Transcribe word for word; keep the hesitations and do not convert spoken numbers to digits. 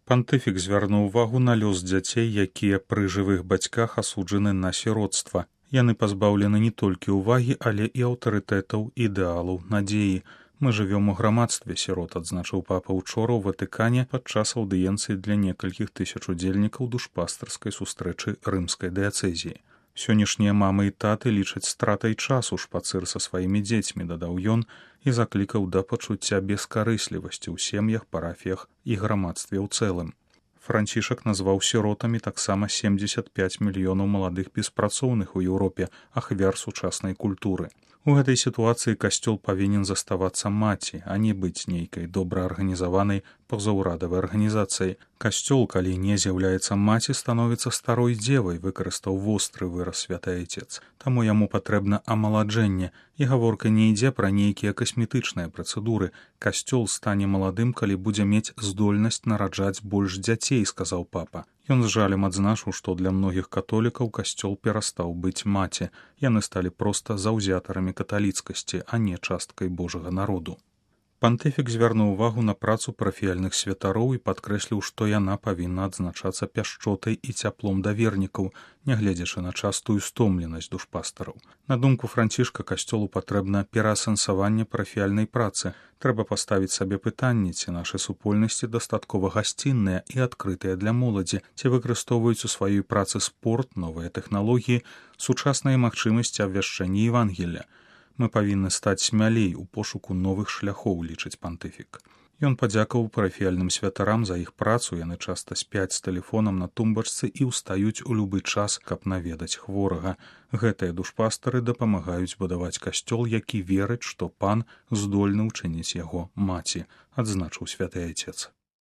Пантыфік звярнуў увагу на лёс дзяцей, якія пры жывых бацьках асуджаны на сіроцтва. Яны пазбаўлены не толькі ўвагі, але і аўтарытэтаў, ідэалаў, надзеі. Мы жывём у грамадстве сірот, адзначыў папа ўчора ў Ватыкане падчас аўдыенцыі для некалькіх тысяч удзельнікаў душпастарскай сустрэчы рымскай дыяцэзіі. Сённяшнія мамы і таты лічаць стратай часу шпацыр са сваімі дзецьмі, дадаў ён і заклікаў да пачуцця бескарыслівасці ў сем'ях, парафіях і грамадстве ў цэлым. Францішак назваў сіротамі таксама семдзесят пяць мільёнаў маладых беспрацоўных у Еўропе, ахвяр сучаснай культуры. У гэтай сітуацыі касцёл павінен заставацца маці, а не быць нейкай добра арганізаванай пазаўрадавай арганізацыяй. Касцёл, калі не з'яўляецца маці, становіцца старой дзевай, выкарыстаў востры выраз святы айцец. Таму яму патрэбна амаладжэнне, і гаворка не ідзе пра нейкія касметычныя працэдуры. Касцёл стане маладым, калі будзе мець здольнасць нараджаць больш дзяцей, сказаў папа. Ён з жалем адзначыў, што для многіх католікаў касцёл перастаў быць маці. Яны сталі проста заўзятарамі каталіцкасці, а не часткай Божага народу. Пантыфік звярнуў увагу на працу парафіяльных святароў і падкрэсліў, што яна павінна адзначацца пяшчотай і цяплом да вернікаў, нягледзячы на частую стомленасць душпастараў. На думку Францішка, касцёлу патрэбна пераасэнсаванне парафіяльнай працы. Трэба паставіць сабе пытанне, ці нашы супольнасці дастаткова гасцінныя і адкрытыя для моладзі, ці выкарыстоўваюць у сваёй працы спорт, новыя тэхналогіі, сучасныя магчымасці абвяшчэння Евангелля. Мы павінны стаць смялей у пошуку новых шляхоў, лічыць пантыфік. Ён падзякаваў парафіяльным святарам за іх працу, яны часта спяць з тэлефонам на тумбачцы і ўстаюць у любы час, каб наведаць хворага. Гэтыя душпастары дапамагаюць будаваць касцёл, які верыць, што пан здольны ўчыніць яго маці, адзначыў святы айцец.